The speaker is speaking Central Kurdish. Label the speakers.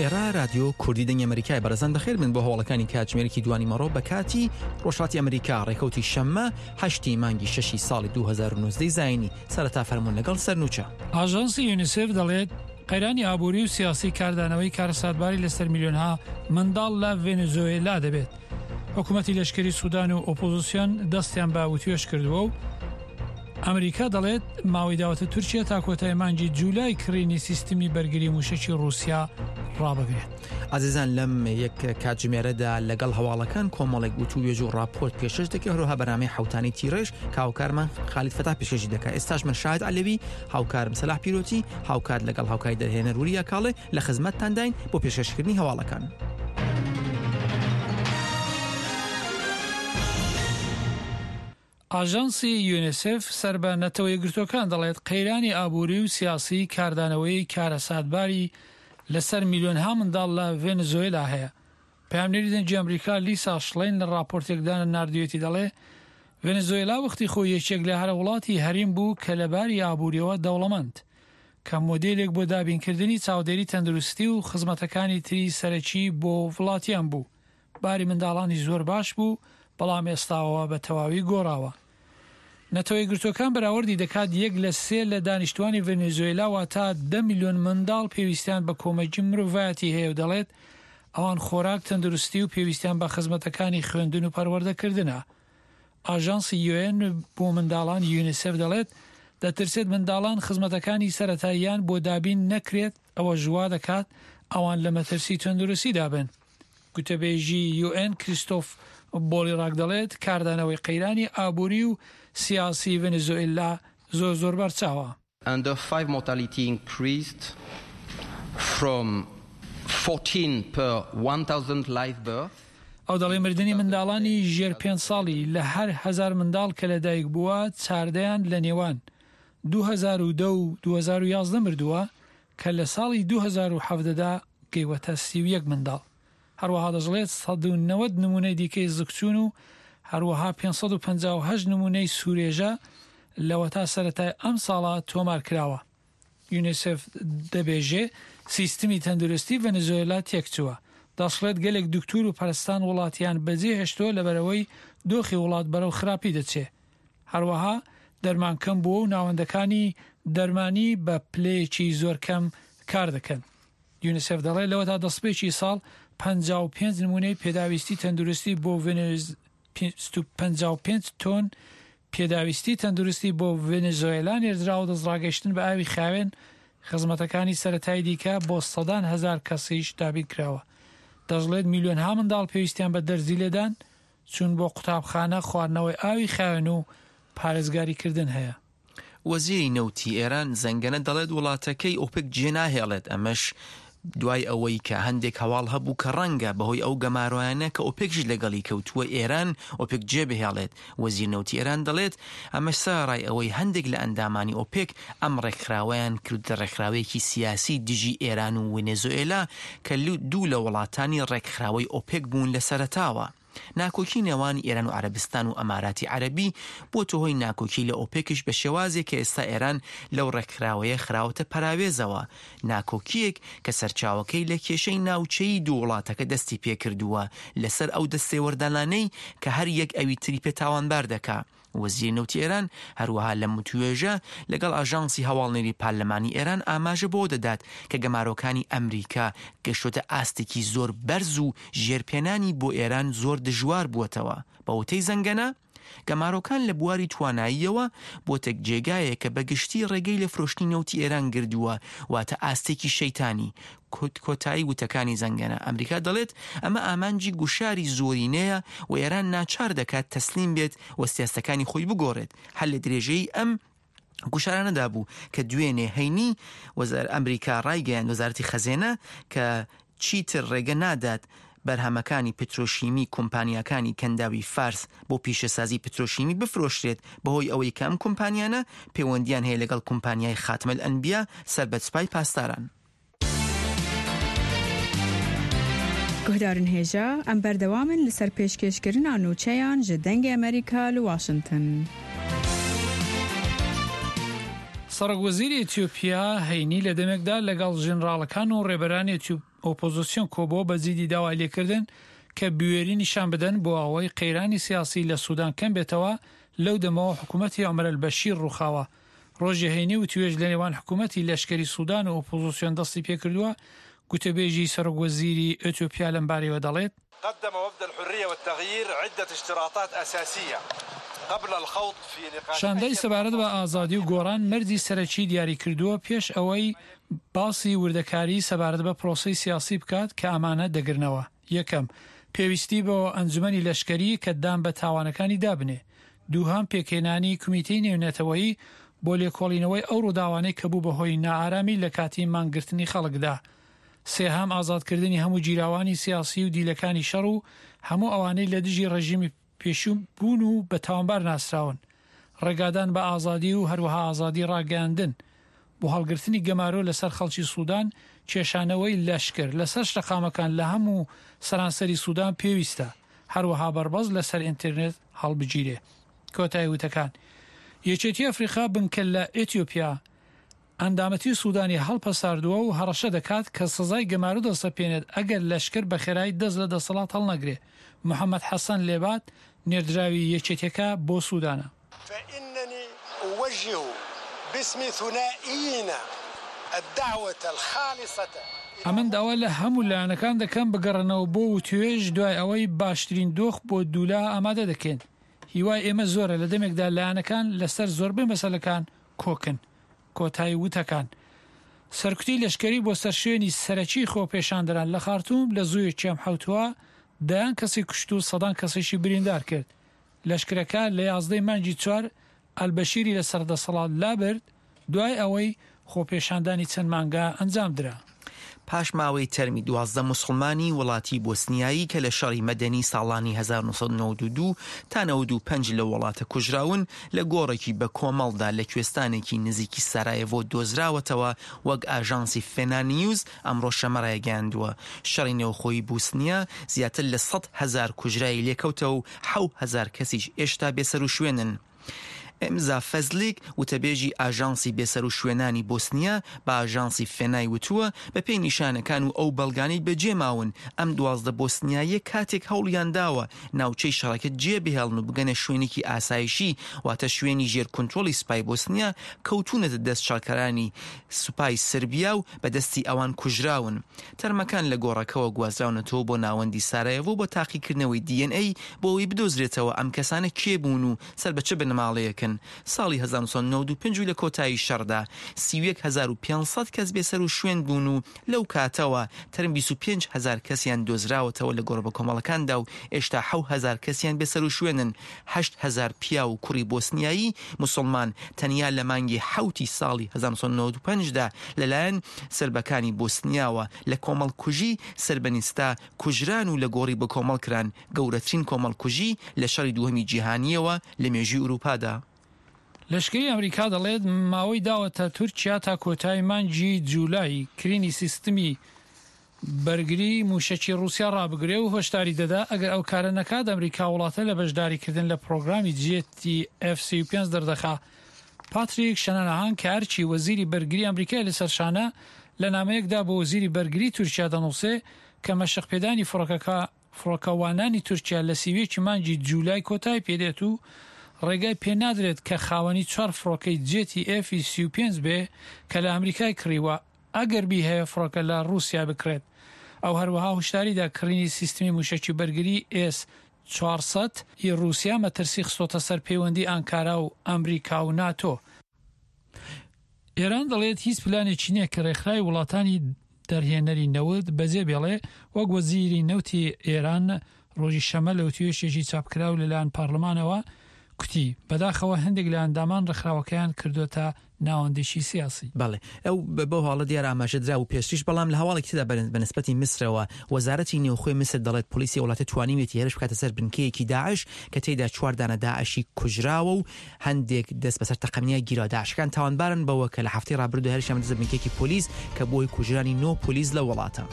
Speaker 1: ئێرە رادیۆ کوردی دەنگی ئەمریکای بەڕێزان بەخێر بن بۆ هەواڵەکانی کاتژمێرێکی دوانی مەڕۆ بە کاتی ڕۆژهەڵاتی ئەمریکا ڕێکەوتی شەممە هەشتی مانگی شەشی ساڵی 2019 زایینی سەرەتا فەرموون لەگەڵ سەرنوچە.
Speaker 2: ئاژانسی یونیسێف دەڵێت، قەیرانی ئابووری و سیاسی کاردانەوەی کارەساتباری لەسەر میلیۆنها منداڵ لە ڤێنزۆێلا دەبێت. حکوومەتی لەشکری سودان و ئۆپۆزیسیۆن دەستیان بە وتوێژ کردووە و ئەمریکا دەڵێت ماوەی داوەتە تورکیا تا کۆتای مانگی جولای کڕینی سیستمی بەرگری موشەکی ڕووسیا ڕابگرێت.
Speaker 1: ئازیزان لەم یەک کاتژمێرەدا لەگەڵ هەواڵەکان کۆمەڵێک وتووێژ و ڕاپۆرت پێشکەش دەکەین هەروەها بەرنامەی حوتانی تیڕێژ کە هاوکارمان خالید فەتاح پێشکەشی دەکات ئێستاش من شاهد عەلەوی هاوکارم سەلاح پیرۆتی هاوکات لەگەڵ هاوکاری دەرهێنەر وریا کاڵێ لە خزمەتتانداین بۆ پێشکەشکردنی هەواڵەکان.
Speaker 2: ئاژانسی یونیسێف سەر بە نەتەوە یەکگرتووەکان دەڵێت، قەیرانی ئابووری و سیاسی کاردانەوەی کارەساتباری لەسەر میلیۆنها منداڵ لە ڤێنزۆێلا هەیە. پەیامنێری دەنگی ئەمریکا لیسا شڵین لە ڕاپۆرتێکدا ناردویەتی دەڵێ، ڤێنزۆێلا وەختی خۆی یەکێک لە هەرە وڵاتی هەریم بوو کە لە باری ئابووریەوە دەوڵەمەند، کە مۆدێلێک بۆ دابینکردنی چاودێری تەندروستی و خزمەتەکانی تری سەرەکی بۆ وڵاتیان بوو. باری منداڵانی زۆر باش بوو، بەڵام ئێستا ئەوە بە تەواوی گۆڕاوە. نەتەوە یەکگرتووەکان بەراوردی دەکات یەک لە سێ لە دانیشتووانی ڤەنێزوێلا واتە دە ملیۆن منداڵ پێویستیان بە کۆمەکی مرۆڤایەتی هەیە و دەڵێت ئەوان خۆراک، تەندروستی و پێویستیان بە خزمەتەکانی خوێندن و پەروەردەکردنە. ئاژانسی یوئێن بۆ منداڵان یونیسێف دەڵێت دەترسێت منداڵان خزمەتەکانی سەرەتاییان بۆ دابین نەکرێت ئەوەش وا دەکات ئەوان لە مەترسی تەندروستیدا بن. گوتەبێژی یوئێن کریستۆف بۆلیڕاک دەڵێت کاردانەوەی قەیرانی ئابووری و سیاسی ڤەنزۆئێلا زۆر زۆر بەرچاوە.
Speaker 3: Under five mortality increased from 14 per 1000 live births.
Speaker 2: ئەو دەڵێ مردنی منداڵانی ژێر پێنج ساڵی لە هەر هەزار منداڵ کە لەدایک بووە چاردەیان لە نێوان 2010 و 2011 مردووە کە لە ساڵی 2017 دا گەیوەتە 31 منداڵ. هەروەها دەشڵێت 190 نمونەی دیکەی زکچوون و هەروەها 558 نمونەی سورێژە لەوەتا سەرەتای ئەمساڵە تۆمار کراوە. یونیسێف دەبێژێ سیستمی تەندروستی ڤەنزۆێلا تێکچووە. دەشڵێت گەلێک دکتور و پەرستان وڵاتیان بەجێهێشتووە لەبەرئەوەی دۆخی وڵات بەرەو خراپی دەچێ. هەروەها دەرمان کەم بووە و ناوەندەکانی دەرمانی بە پلەیەکی زۆر کەم کار دەکەن. یونیسێف دەڵێت لەوەتا دەستپێکی ساڵ 55 نمونەی پێداویستی تەندروستی بۆ 55 تۆن پێداویستی تەندروستی بۆ ڤەنزۆێلا نێردراوە دەستڕاگەیشتن بە ئاوی خاوێن خزمەتەکانی سەرەتایی دیکە بۆ سەدان هەزار کەسیش دابین کراوە. دەشڵێت میلیۆنها منداڵ پێویستیان بە دەرزی لێدان، چوون بۆ قوتابخانە، خواردنەوەی ئاوی خاوێن و پارێزگاریکردن هەیە.
Speaker 1: وەزیری نەوتی ئێران زەنگەنە دەڵێت وڵاتەکەی ئۆپێک جێناهێڵێت، ئەمەش دوای ئەوەی کە هەندێک هەواڵ هەبوو کە ڕەنگە بەهۆی ئەو گەمارۆیانە کە ئۆپێکیش لەگەڵی کەوتووە ئێران ئۆپێک جێبهێڵێت. وەزیر نەوتی ئێران دەڵێت ئەمەش سەرەڕای ئەوەی هەندێک لە ئەندامانی ئۆپێک ئەم ڕێکخراوەیان کردە ڕێکخراوەیەکی سیاسی دژی ئێران و ونێزۆئێلا کە دوو لە وڵاتانی ڕێکخراوەی ئۆپێک بوون لە سەرەتاوە. ناکۆکی نێوان ئێران و عەرەبستان و ئەماراتی عەرەبی بۆتە هۆی ناکۆکی لە ئۆپێکیش بە شێوازێک کە ئێستا ئێران لەو ڕێکخراوەیە خراوەتە پەراوێزەوە، ناکۆکییەک کە سەرچاوەکەی لە کێشەی ناوچەیی دوو وڵاتەکە دەستی پێکردووە لەسەر ئەو دەستێوەردانانەی کە هەر یەک ئەوی تری پێ تاوانبار دەکا. وەزیری نەوتی ئێران هەروەها لەم وتووێژە لەگەڵ ئاژانسی هەواڵنێری پارلەمانی ئێران ئاماژە بەوە دەدات کە گەمارۆکانی ئەمریکا گەشتۆتە ئاستێکی زۆر بەرز و ژێرپێنانی بۆ ئێران زۆر دژوار بووەتەوە. بە وتەی زەنگەنە، گەمارۆکان لە بواری تواناییەوە بۆتە جێگایەک کە بە گشتی ڕێگەی لە فرۆشتنی نەوتی ئێران گردووە، واتە ئاستێکی شەیتانی. کۆتایی وتەکانی زەنگەنە، ئەمریکا دەڵێت ئەمە ئامانجی گوشاری زۆرینەیە و ئێران ناچار دەکات تەسلیم بێت و سیاستەکانی خۆی بگۆڕێت. هەر لە درێژەی ئەم گوشارانەدا بوو کە دوێنێ هەینی وەزار ئەمریکا ڕایگەیاند وەزارەتی خەزێنە کە چیتر ڕێگە نادات بەرهەمەکانی پترۆشیمی کۆمپانیاکانی کەنداوی فارس بۆ پیشەسازی پترۆشیمی بفرۆشرێت بەهۆی ئەوەی کە ئەم کۆمپانیانە پەیوەندیان هەیە لەگەڵ کۆمپانیای خاتم الانبیا سەر بە سوپای پاسداران.
Speaker 4: گوهدارن هێژا، ئەم بەردەوامن لەسەر پێشکێشکردنا نوچەیان ژ دەنگێ ئەمریکا لە واشنتن.
Speaker 2: سەرۆک وەزیری ئیتیۆپیا هەینی لە دەمێکدا لەگەڵ ژنراڵەکان و ڕێبەرانی ئۆپۆزسیۆن کۆبووە بە جیدی داوای لێکردن کە بوێری نیشان بدەن بۆ ئەوەی قەیرانی سیاسی لە سودان کەم بێتەوە لەو دەمەوە حکوومەتی عومەر ئەلبەشیر ڕووخاوە. ڕۆژی هەینی وتوێژ لە نێوان حکوومەتی لەشکری سودان و ئۆپۆزسیۆن دەستی پێکردووە، گوتەبێژی سەرۆک وەزیری ئێتیۆپیا لەمبارەیەوە دەڵێت،
Speaker 5: قدم وفد الحریە والتغییر عدە اشتراطات اساسیە قبل الخوض فی نقاش
Speaker 2: شاندەی سەبارەت بە ئازادی و گۆڕان مەرجی سەرەکی دیاریکردووە پێش ئەوەی باسی وردەکاری سەبارەت بە پرۆسەی سیاسی بکات کە ئەمانە دەگرنەوە، یەکەم، پێویستی بۆ ئەنجومەنی لەشکەری کە دان بە تاوانەکانی دابنێ. دووهەم، پێکهێنانی کومیتەی نێونەتەوەیی بۆ لێکۆڵینەوەی ئەو ڕووداوانەی کە بوو بە هۆی نائارامی لە کاتی مانگرتنی خەڵکدا. سێهەم، ئازادکردنی هەموو گیراوانی سیاسی و دیلەکانی شەڕ و هەموو ئەوانەی لە دژی ڕێژیمی پێشوو بوون و بە تاوانبار ناسراون. ڕێگادان بە ئازادی و هەروەها ئازادی ڕاگەیاندن. بۆ هەڵگرتنی گەمارۆ لەسەر خەڵکی سودان، کێشانەوەی لەشکر لەسەر شەقامەکان لە هەموو سەرانسەری سودان پێویستە، هەروەها بەربەست لەسەر ئینترنێت هەڵبگیرێ. کۆتایی وتەکان. یەکێتی ئەفریقا بنکە لە ئێتیۆپیا ئەندامەتی سودانی هەڵپەساردووە و هەڕەشە دەکات کە سزای گەمارۆ دەسەپێنێت ئەگەر لەشکر بە خێرایی دەست لە دەسەڵات هەڵنەگرێ. محەمەد حەسەن لێبات نێردراوی یەکێتیەکە بۆ سودانە.
Speaker 5: فإننی أوجه باسم ثنائینا الدعوة الخالصة إلى.
Speaker 2: ئەمن داوا لە هەموو لایەنەکان دەکەم بگەڕێنەوە بۆ وتوێژ دوای ئەوەی باشترین دۆخ بۆ دوولا ئامادە دەکەین. هیوای ئێمە زۆرە لە دەمێکدا لایەنەکان لەسەر زۆربەی مەسەلەکان کۆکن. کۆتایی وتەکان. سەرکوتی لەشکری بۆ سەر شوێنی سەرەکی خۆپێشاندەران لە خارتوم لە زوویەکی ئەم حەوتووە دەیان کەسی کوشت و سەدان کەسیشی بریندار کرد. لەشکرەکە لە یازدەی مانگی چوار ئەلبەشیری لەسەر دەسەڵات لابرد دوای ئەوەی خۆپێشاندانی چەند مانگە ئەنجامدرا.
Speaker 1: پاشماوەی تەرمی 12 موسڵمانی وڵاتی بۆسنیایی کە لە شەڕی مەدەنی ساڵانی 1992 تا 95 لەو وڵاتە کوژراون، لە گۆڕێکی بە کۆمەڵدا لە کوێستانێکی نزیکی سارایێڤۆ دۆزراوەتەوە، وەک ئاژانسی فێنا نیوز ئەمڕۆ شەمە رایگەیاندووە، شەڕی نێوخۆی بوسنیا زیاتر لە 100,000 کوژراوی لێکەوتەوە و 7,000 کەسیش ئێشتا بێسەروشوێنن. ئێمزا فەزلیک، وتەبێژی ئاژانسی بێسەروشوێنانی بۆسنیا بە ئاژانسی فێنای وتووە، بەپێی نیشانەکان و ئەو بەڵگانەی بەجێماون، ئەم 12 بۆسنیاییە کاتێک هەوڵیانداوە ناوچەی شەڕەکە جێبهێڵن و بگەنە شوێنێکی ئاسایشی، واتە شوێنی ژێر کونترۆڵی سوپای بۆسنیا، کەوتوونەتە دەست شەڕکەرانی سوپای سربیا و بە دەستی ئەوان کوژراون. تەرمەکان لە گۆڕەکەوە گوازراونەتەوە بۆ ناوەندی سارایێڤۆ بۆ تاقیکردنەوەی DNA بۆ ئەوەی بدۆزرێتەوە ئەم کەسانە کێ بوون و سەر بە چ بنەماڵەیەکن. ساڵی 1995 و لە کۆتایی شەڕدا 31500 کەس بێسەروشوێن بوون و لەو کاتەوە تەرم 25000 کەسیان دۆزراوەتەوە لە گۆڕە بەکۆمەڵەکاندا و ئێشتا 7000 کەسیان بێسەروشوێنن. 8000 پیاو و کوڕی بۆسنیایی موسڵمان تەنیا لە مانگی حەوتی ساڵی 1995 دا لەلایەن سربەکانی بۆسنیاوە لە کۆمەڵکوژی سربەنیستا کوژران و لە گۆڕی بەکۆمەڵ کران، گەورەترین کۆمەڵکوژی لە شەڕی دووهەمی جیهانییەوە لە مێژووی ئورووپادا.
Speaker 2: لەشکری ئەمریکا دەڵێت ماوەی داوەتە تورکیا تا کۆتایی مانگی جولای کرینی سیستمی بەرگری موشەکی ڕوسیا ڕابگرێ و هۆشداری دەدا ئەگەر ئەو کارە نەکات ئەمریکا وڵاتە لە بەشداریکردن لە پرۆگرامی جێتی ئێف 35 دەردەخا. پاتریک شەنانەهان کە ئەرکی وەزیری بەرگری ئەمریکای لەسەر شانە لە نامەیەکدا بۆ وەزیری بەرگری تورکیا دەنووسێ کە مەشقپێدانی فڕۆکەکە فڕۆکەوانانی تورکیا لە 31 مانگی جولای کۆتای پێدێت و ڕێگای پێنادرێت کە خاوەنی چوار فڕۆکەی جێتی ئێفی 35 بێ کە لە ئەمریکای کڕیوە ئەگەر بیهەوێ فڕۆکە لە ڕووسیا بکڕێت. ئەو هەروەها هوشداری دا کڕینی سیستمی مووشەکی بەرگری ئێس 400 ی ڕووسیا مەترسی خستۆتە سەر پەیوەندی ئانکارا و ئەمریکا و ناتۆ. ئێران دەڵێت هیچ پلانێکی نییە کە ڕێکخراوی وڵاتانی دەرهێنەری نەوت بەجێ بێڵێ، وەک وەزیری نەوتی ئێران ڕۆژی شەممە لە وتوێژێکی چاپکراو لەلایەن پارلمانەوە کوتی، بەداخەوە هەندێک لە ئەندامان ڕێکخراوەکەیان کردۆتە ناوەندێکی سیاسی.
Speaker 1: بەڵێ ئەو بەو هەواڵە دیارە ئاماژە درابوو پێشتریش، بەڵام لە هەواڵێکی تردا بە نسبەتی میسرەوە وەزارەتی نێوخۆی میسر دەڵێت پۆلیسی ئەو وڵاتە توانیویەتی هێرش بکاتە سەر بنکەیەکی داعش کە تێیدا چوار دانە داعشی کوژراوە و هەندێک دەست بەسەر تەقەمنیا گیراوە. داعشەکان تاوانبارن بەوە کە لە هەفتەی ڕابردوو هێرشیان بردە سەر بنکەیەکی پۆلیس کە بووە هۆی کوژرانی نۆ پۆلیس لەو وڵاتە.